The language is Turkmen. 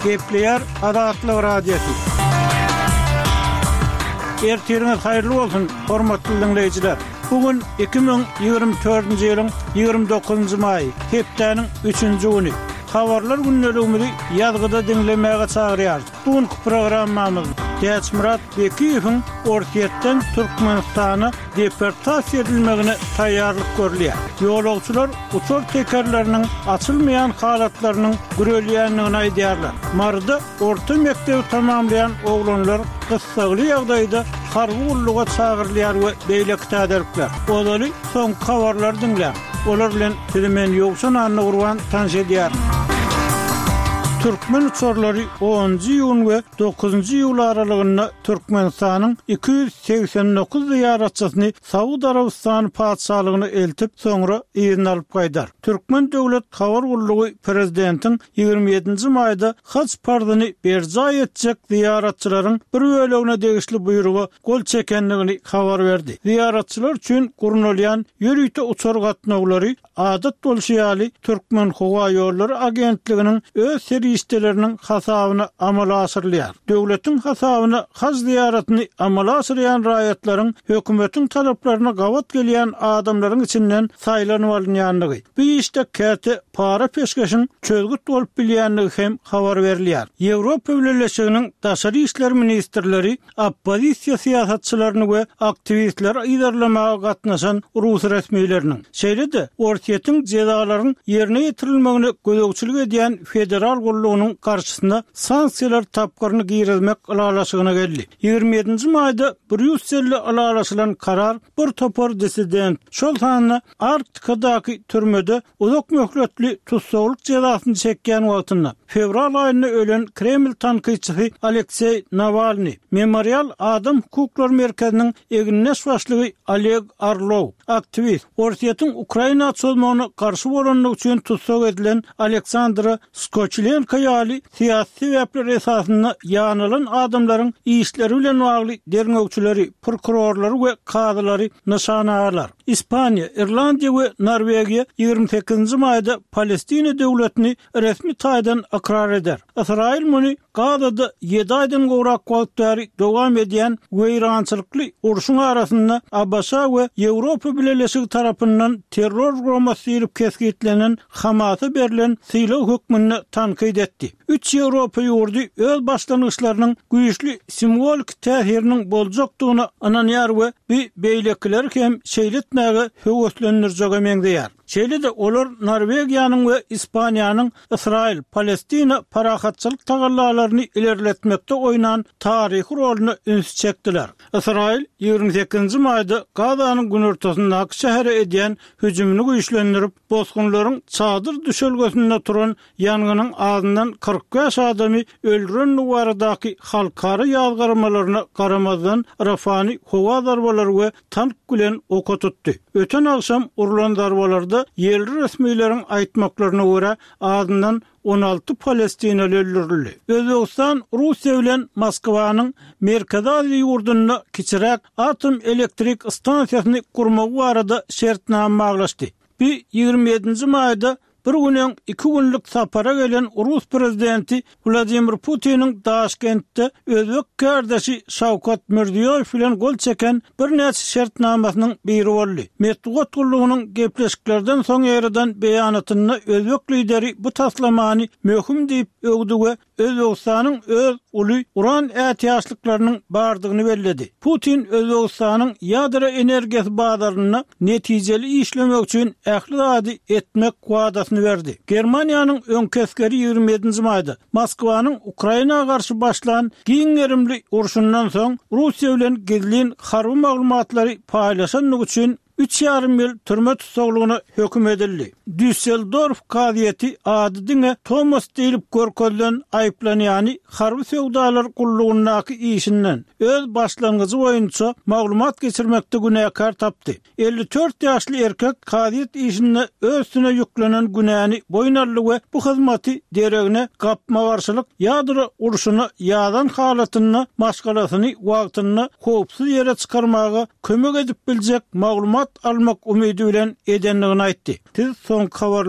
Gepleýär Azatlyk Radiosy. Ertiriňiz haýyrly bolsun, hormatly diňleýjiler! Bu gün 2024-nji ýylyň 29-njy maýy, hepdäniň üçünji güni. Habarlar gündeligimizi ýazgyda diňlemäge çagyrýarys. Bu günki programmamyzda Täçmyrat Bekiýewiň Orsýetden Türkmenistana deportasiýa edilmegine taýýarlyk görülýär. Ýolagçylar uçar tekerleriniň açylmaýan halatlarynyň gürelýändigini aýdýarlar. Maryda orta mekdebi tamamlaýan oglanlar gyssagly ýagdaýda harby gulluga çagyrylýar we beýleki täzelikler. Ozaly soňky habarlary diňläň. Olar bilen sizi men Ýowşan Annagurban tanyş edýärin. Türkmen uçarlary onunjy iýun we dokuzynjy iýul aralygynda Türkmenistanyň 289 zyýaratçysyny Saud Arabystany Patyşalygyna eltip, soňra yzyna alyp gaýdar. Türkmen döwlet habar gullugy prezidentiň 27-nji maýda haj parzyny berjaý etjek zyýaratçylaryň bir bölegine degişli buýruga gol çekendigini habar berdi. Zyýaratçylar üçin gurnalýan ýörite uçar gatnawlary Adat bolşy ýaly, Türkmenhowaýollary agentliginiň öz serişdeleriniň hasabyna amala aşyrylýar. Döwletiň hasabyna haj zyýaratyny amala aşyrýan raýatlaryň hökümetiň talaplaryna gabat gelýän adamlaryň içinden saýlanyp alynýandygy, bu işde käte para-peşgeşiň çözgüt bolup bilýändigi hem habar berilýär. Ýewropa Bileleşiginiň daşary işler ministrleri oppozisiýa syýasatçylaryny we aktiwistleri yzarlamaga gatnaşan rus resmileriniň, şeýle-de Orsýetiň jezalaryň ýerine ýetirilmegine gözegçilik edýän Federal gullugynyň garşysyna sanksiýalar tapgyryny girizmek ylalaşygyna geldi. 27-nji maýda Brýusselde ylalaşylan karar bir topar dissident, şol sanda Arktikadaky türmede uzak möhletli tussaglyk jezasyny çekýän wagtynda, fewral aýynda ölen Kreml tankytçysy Alekseý Nawalnyý, Memorial adam hukuklary merkeziniň egindeş başlygy Oleg Orlow, aktiwist, Orsýetiň Ukraina çozmagyna garşy bolandygy üçin tussag edilen Aleksandra Skoçilenko ýaly syýasy sebäpler esasynda ýanalan adamlaryň işleri bilen bagly derňewçileri, prokurorlary we kazylary nyşana alar. Ispaniýa, Irlandiýa we Norwegiýa 28-nji maýda Palestina döwletini resmi taýdan ykrar eder. Ysraýyl muny Gazada ýedi aýdan gowrak wagt bäri dowam edýän weýrançylykly urşuň arasynda ABŞ we Ýewropa Bileleşigi tarapyndan terror guramasy diýlip kesgitlenen Hamasa berlen sylag hökmünde tankyt etdi. Üç ýewropa ýurdy öz başlangyçlarynyň güýçli simwoliki täsiriniň boljakdygyna ynanýar we bu beýlekileri hem şeýle etmäge höweslendirjege meňzeýär. Şeýle-de olar Norwegiýanyň we Ispaniýanyň Ysraýyl, Palestina parahatçylyk tagallalaryny ilerletmekde oýnan taryhy roluna ünsi çekdiler. Ysraýyl 28-nji maýda Gazanyň günortasyndaky şähere edýän hüjümini güýçlendirip, bosgunlaryň çadyr düşelgesinde turan ýangynyň azyndan 45 adamy öldürendigi baradaky halkara ýazgarmalaryna garamazdan, Rafany howa zarbalary we tank bilen oka tutdy. Öten agşam urlan zarbalarda ýerli resmileriň aýtmaklaryna görä, azyndan 16 palestinaly öldürildi. Özbegistan Russiýa bilen Moskwanyň Merkezi Aziýa ýurdunda kiçiräk atom elektrik stansiýasyny gurmagy barada şertnama baglaşdy. Bu 27-nji maýda Bir gün öň iki günlük sapara gelen rus prezidenti Wladimir Putiniň Daşkentde özbek kärdeşi Şawkat Mirziýoýew bilen gol çeken birnäçe şertnamasynyň biri boldy. Metbugat gullugynyň gepleşiklerden soň ýaýradan beýanatynda özbek lideri bu taslamany möhüm diýip öwdi we Özbegistanyň öz uly uran ätiýaçlyklarynyň bardygyny belledi. Putin Özbegistanyň ýadro energiýasy bazarynda netijeli işlemek üçin ähli zady etmek wadasyny berdi. Germaniýanyň öňki esgeri 27-nji maýda Moskwanyň Ukraina garşy başlan giň gerimli urşundan soň Russiýa bilen gizlin harby maglumatlary paýlaşandygy üçin Üç ýarym ýyl türme tussaglygyna höküm edildi. Düsseldorf kazyýeti ady diňe Tomas diýlip görkezilen aýyplanýany harby söwdalar gullugyndaky işinden, öz başlangyjy boýunça maglumat geçirmekde günäkär tapdy. 54 ýaşly erkek kazyýet işinde öz üstüne ýüklenen günäni boýun aldy we bu hyzmaty deregine gapma-garşylyk ýadro urşuna ýazan halatynda maşgalasyny wagtynda howpsuz ýere çykarmaga kömek edip biljek maglumat almak umydy bilen edendigini aýtdy. Siz soňky habarlar.